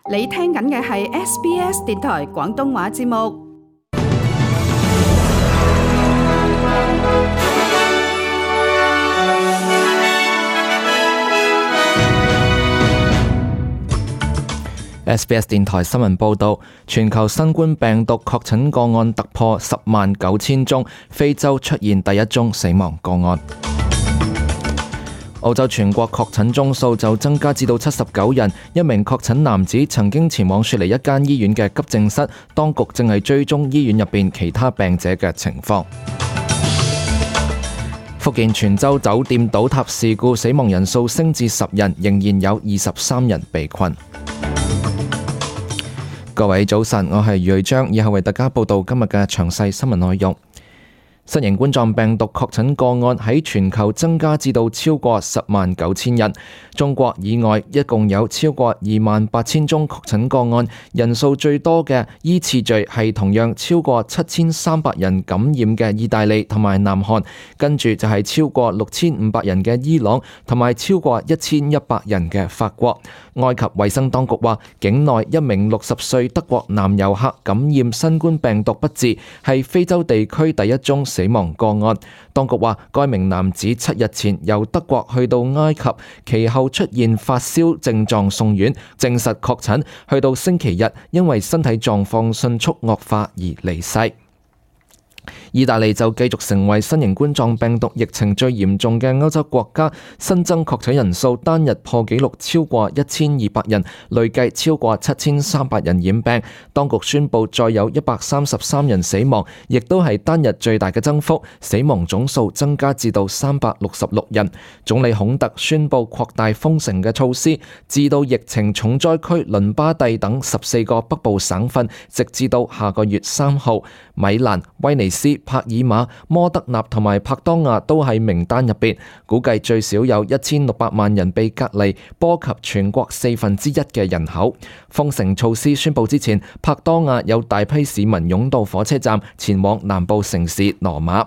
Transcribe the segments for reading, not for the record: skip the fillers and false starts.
你聽緊嘅係 SBS 電台廣東話節目。SBS 電台新聞報導，全球新冠病毒確診個案突破109000宗，非洲出現第一宗死亡個案。澳洲全國確診宗數就增加至到79人，一名確診男子曾經前往雪梨一間醫院嘅急症室，當局正係追蹤醫院入邊其他病者嘅情況。福建泉州酒店倒塌事故死亡人數升至10人，仍然有23人被困。各位早晨，我係余瑞章，以後為大家報道今日嘅詳細新聞內容。新型冠狀病毒確診個案喺全球增加至到超過109000人，中國以外一共有超過28000宗確診個案，人數最多嘅依次序係同樣超過7300人感染嘅意大利同埋南韓，跟住就係超過6500人嘅伊朗同埋超過1100人嘅法國。埃及衛生當局話，境內一名60歲德國男遊客感染新冠病毒不治，係非洲地區第一宗死亡個案。當局話，該名男子7日前由德國去到埃及，其後出現發燒症狀送院，證實確診，去到星期日因為身體狀況迅速惡化而離世。意大利就繼續成為新型冠狀病毒疫情最嚴重嘅歐洲國家，新增確診人數單日破紀錄超過1200人，累計超過7300人染病。當局宣布再有133人死亡，亦都係單日最大嘅增幅，死亡總數增加至到366人。總理孔特宣布擴大封城嘅措施，至到疫情重災區倫巴第等14個北部省份，直至到下個月3號。米蘭、威尼斯、帕爾馬、摩德納同埋帕多亞都喺名單入邊，估計最少有1600萬人被隔離，波及全國1/4嘅人口。封城措施宣布之前，帕多亞有大批市民湧到火車站，前往南部城市羅馬。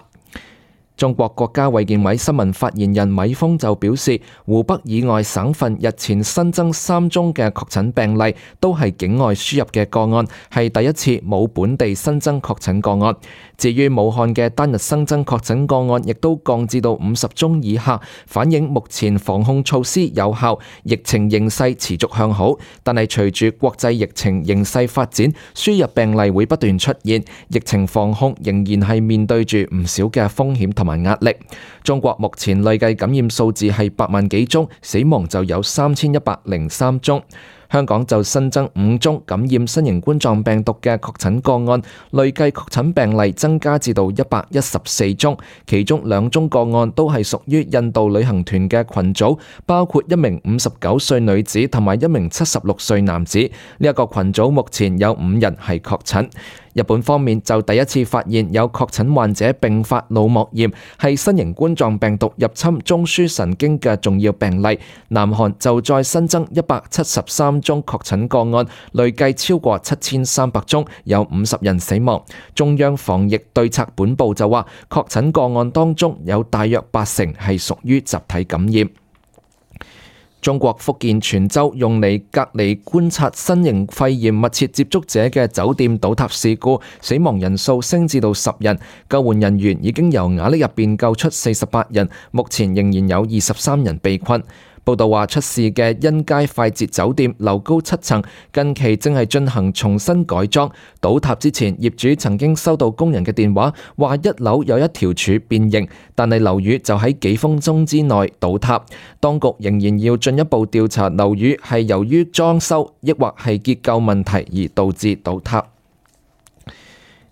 中國國家衛健委新聞發言人米峰就表示，湖北以外省份日前新增3宗嘅確診病例，都係境外輸入嘅個案，係第一次冇本地新增確診個案。至於武漢嘅單日新增確診個案，亦都降至到50宗以下，反映目前防控措施有效，疫情形勢持續向好。但係隨住國際疫情形勢發展，輸入病例會不斷出現，疫情防控仍然係面對住唔少嘅風險同埋壓力。中國目前累計感染數字係8萬幾宗，死亡就有3103宗。香港就新增5宗感染新型冠狀病毒嘅確診個案，累計確診病例增加至到114宗，其中2宗個案都係屬於印度旅行團嘅群組，包括一名59歲女子同埋一名76歲男子。呢一個群組目前有5人係確診。日本方面就第一次發現有確診患者併發腦膜炎，係新型冠狀病毒入侵中樞神經嘅重要病例。南韓就再新增173宗確診個案，累計超過7300宗，有50人死亡。中央防疫對策本部就話，確診個案當中有大約80%係屬於集體感染。中國福建泉州用嚟隔離觀察新型肺炎密切接觸者嘅酒店倒塌事故，死亡人數升至到10人，救援人員已經由瓦礫入邊救出48人，目前仍然有23人被困。報道話，出事嘅欣佳快捷酒店樓高7層，近期正係進行重新改裝。倒塌之前，業主曾經收到工人嘅電話，話1樓有一條柱變形，但係樓宇就喺幾分鐘之內倒塌。當局仍然要進一步調查樓宇係由於裝修，抑或係結構問題而導致倒塌。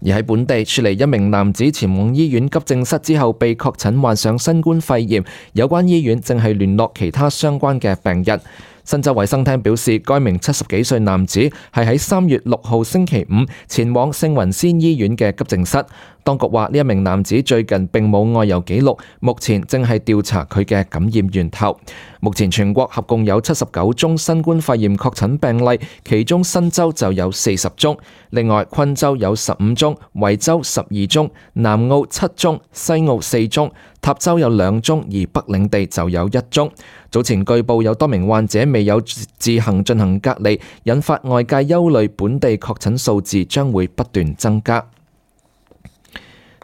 而喺本地，雪梨一名男子前往醫院急症室之後被確診患上新冠肺炎，有關醫院正係聯絡其他相關嘅病人。新州衛生廳表示，該名70幾歲男子係喺3月6號星期五前往聖雲仙醫院嘅急症室。當局話呢一名男子最近並冇外遊記錄，目前正係調查佢嘅感染源頭。目前全國合共有79宗新冠肺炎確診病例，其中新州就有40宗，另外昆州有15宗，維州12宗，南澳7宗，西澳4宗，塔州有2宗，而北領地就有1宗。早前據報有多名患者未有自行進行隔離，引發外界憂慮本地確診數字將會不斷增加。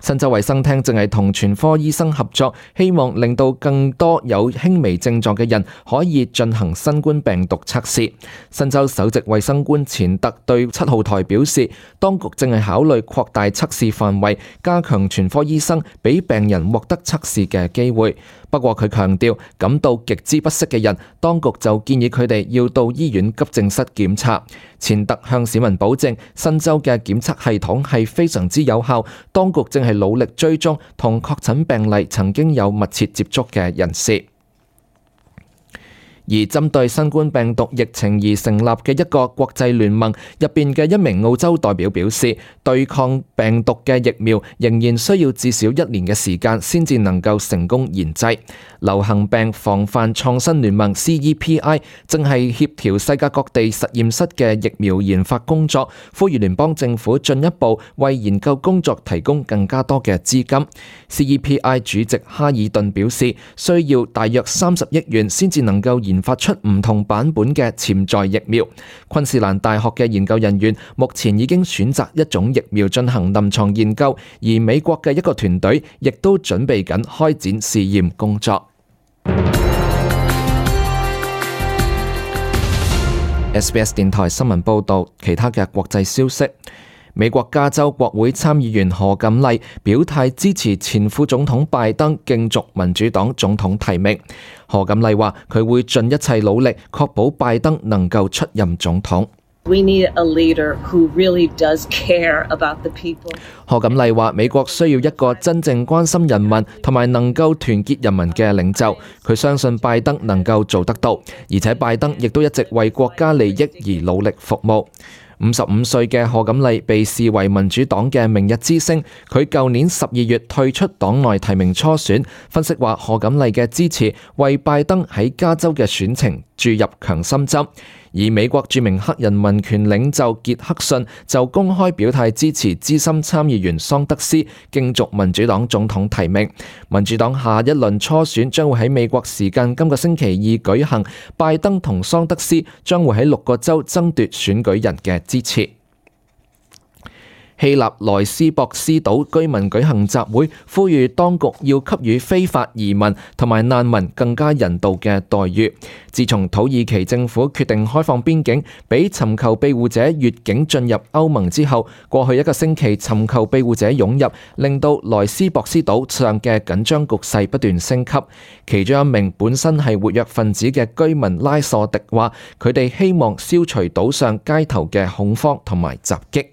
新州衛生廳正係同全科醫生合作，希望令到更多有輕微症狀嘅人可以進行新冠病毒測試。新州首席衛生官錢特對7號台表示，當局正係考慮擴大測試範圍，加強全科醫生俾病人獲得測試嘅機會。不過佢強調，感到極之不適嘅人，當局就建議佢哋要到醫院急症室檢查。錢特向市民保證，新州嘅檢測系統係非常之有效，當局正係努力追蹤同確診病例曾經有密切接觸嘅人士。而針對新冠病毒疫情而成立嘅一個國際聯盟入邊嘅一名澳洲代表表示，對抗病毒嘅疫苗仍然需要至少1年嘅時間先至能夠成功研製。流行病防範創新聯盟 CEPI 正係協調世界各地實驗室嘅疫苗研發工作，呼籲聯邦政府進一步為研究工作提供更加多嘅資金。CEPI 主席哈爾頓表示，需要大約30億元先至能夠研發出唔同版本嘅潛在疫苗。昆士蘭大學嘅研究人員目前已經選擇一種疫苗進行臨床研究，而美國嘅一個團隊亦都準備緊開展試驗工作。SBS 電台新聞報道，其他嘅國際消息。美國加州國會參議員何錦麗表態支持前副總統拜登競逐民主黨總統提名。何錦麗話佢會盡一切努力確保拜登能夠出任總統。We need a leader who really does care about the people. 何錦麗話美國需要一個真正關心人民同埋能夠團結人民嘅領袖。佢相信拜登能夠做得到，而且拜登亦都一直為國家利益而努力服務。55歲嘅何錦麗被視為民主黨嘅明日之星，佢舊年12月退出黨內提名初選。分析話何錦麗嘅支持為拜登喺加州嘅選情注入強心針。而美國著名黑人民權領袖傑克遜就公開表態支持資深參議員桑德斯競逐民主黨總統提名。民主黨下一輪初選將會喺美國時間今個星期2舉行，拜登同桑德斯將會喺6個州爭奪選舉人嘅支持。希臘萊斯博斯島居民舉行集會，呼籲當局要給予非法移民同埋難民更加人道嘅待遇。自從土耳其政府決定開放邊境，俾尋求庇護者越境進入歐盟之後，過去1個星期尋求庇護者湧入，令到萊斯博斯島上嘅緊張局勢不斷升級。其中一名本身係活躍分子嘅居民拉索迪話，佢哋希望消除島上街頭嘅恐慌同埋襲擊。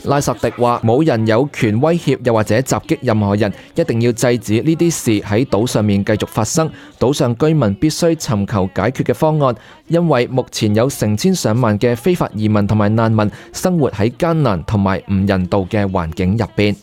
拉索迪話：冇人有權威脅又或者襲擊任何人，一定要制止呢啲事喺島上面繼續發生。島上居民必須尋求解決嘅方案，因為目前有成千上萬嘅非法移民同埋難民生活喺艱難同埋唔人道嘅環境入邊。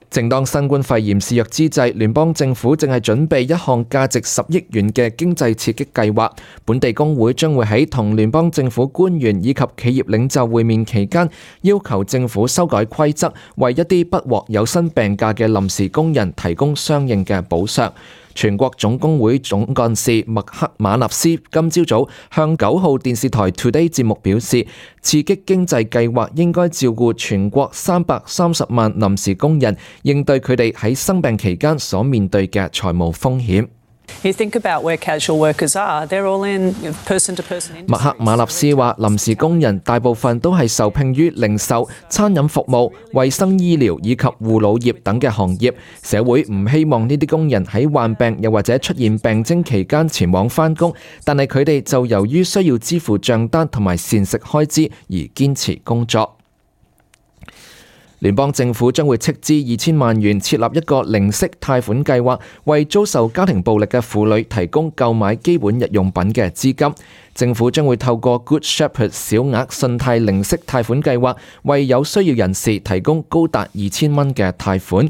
正當新冠肺炎肆虐之際，聯邦政府正係準備一項價值10億元嘅經濟刺激計劃。本地工會將會喺同聯邦政府官員以及企業領袖會面期間，要求政府修改規則，為一啲不獲有薪病假嘅臨時工人提供相應嘅補償。全國總工會總幹事麥克馬納斯今朝早向9號電視台 Today 節目表示，刺激經濟計劃應該照顧全國330萬臨時工人，應對佢哋喺生病期間所面對嘅財務風險。You think about where casual workers are, they're all in person-to-person industries. 麥克馬納斯話，臨時工人大部分都係受聘於零售、餐飲服務、衛生醫療以及護老業等嘅行業。社會唔希望呢啲工人喺患病又或者出現病徵期間前往返工，但係佢哋就由於需要支付帳單同埋膳食開支而堅持工作。聯邦政府將會斥資2000萬元設立一個零息貸款計劃，為遭受家庭暴力嘅婦女提供購買基本日用品嘅資金。政府將會透過 Good Shepherd 小額信貸零息貸款計劃，為有需要人士提供高達2000蚊嘅貸款。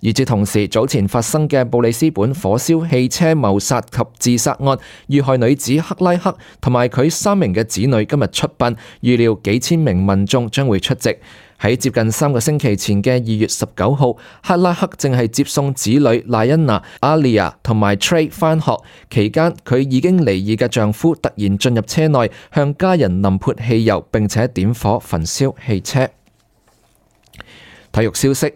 與此同時，早前發生嘅布里斯本火燒汽車謀殺及自殺案，遇害女子克拉克同埋佢3名嘅子女今日出殯，預料幾千名民眾將會出席。喺接近3個星期前嘅2月19號，克拉克正係接送子女萊恩娜、阿利亞同埋 Trey 返學期間，佢已經離異嘅丈夫突然進入車內，向家人淋潑汽油，並且點火焚燒汽車。體育消息。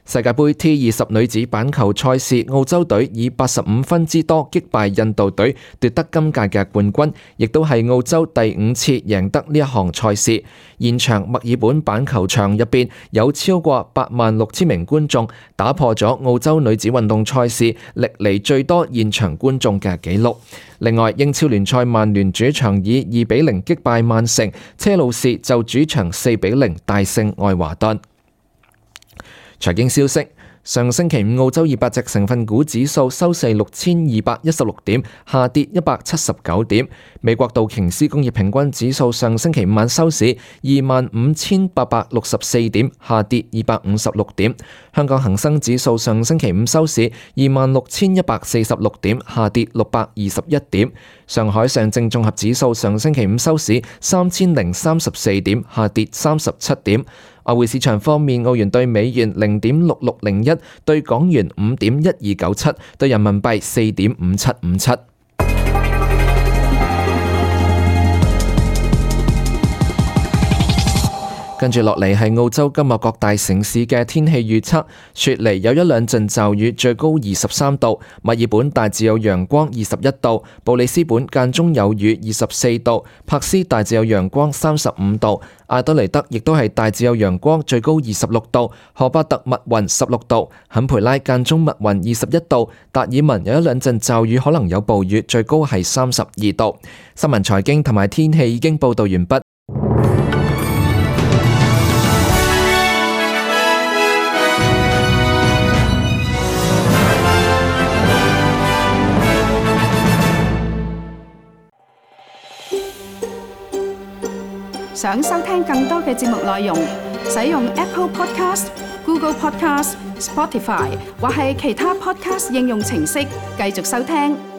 世界盃 T20 女子板球賽事，澳洲隊以85分之多擊敗印度隊，奪得今屆嘅冠軍，亦都係澳洲第5次贏得呢一項賽事。現場墨爾本板球場入邊有超過86000名觀眾，打破咗澳洲女子運動賽事歷嚟最多現場觀眾嘅紀錄。另外，英超聯賽曼聯主場以2-0擊敗曼城，車路士就主場4-0大勝愛華頓。財經消息，上星期五澳洲200隻成分股指數收市6216點，下跌179點。美國道瓊斯工業平均指數上星期五晚收市25864點，下跌256點。香港恒生指數上星期五收市26146點，下跌621點。上海上證綜合指數上星期五收市3034點，下跌37點。外匯市場方面，澳元對美元0.6601，對港元5.1297，對人民幣4.5757。跟住落嚟係澳洲今日各大城市嘅天氣預測。雪梨有1-2陣驟雨，最高23度；墨爾本大致有陽光21度；布里斯本間中有雨24度；柏斯大致有陽光35度；阿德雷德亦都係大致有陽光，最高26度；荷巴特密雲16度；坎培拉間中密雲21度；達爾文有1-2陣驟雨，可能有暴雨，最高係32度。新聞財經同埋天氣已經報道完畢。想收聽更多嘅節目內容，使用 Apple Podcast、Google Podcast、Spotify 或係其他 Podcast 應用程式繼續收聽。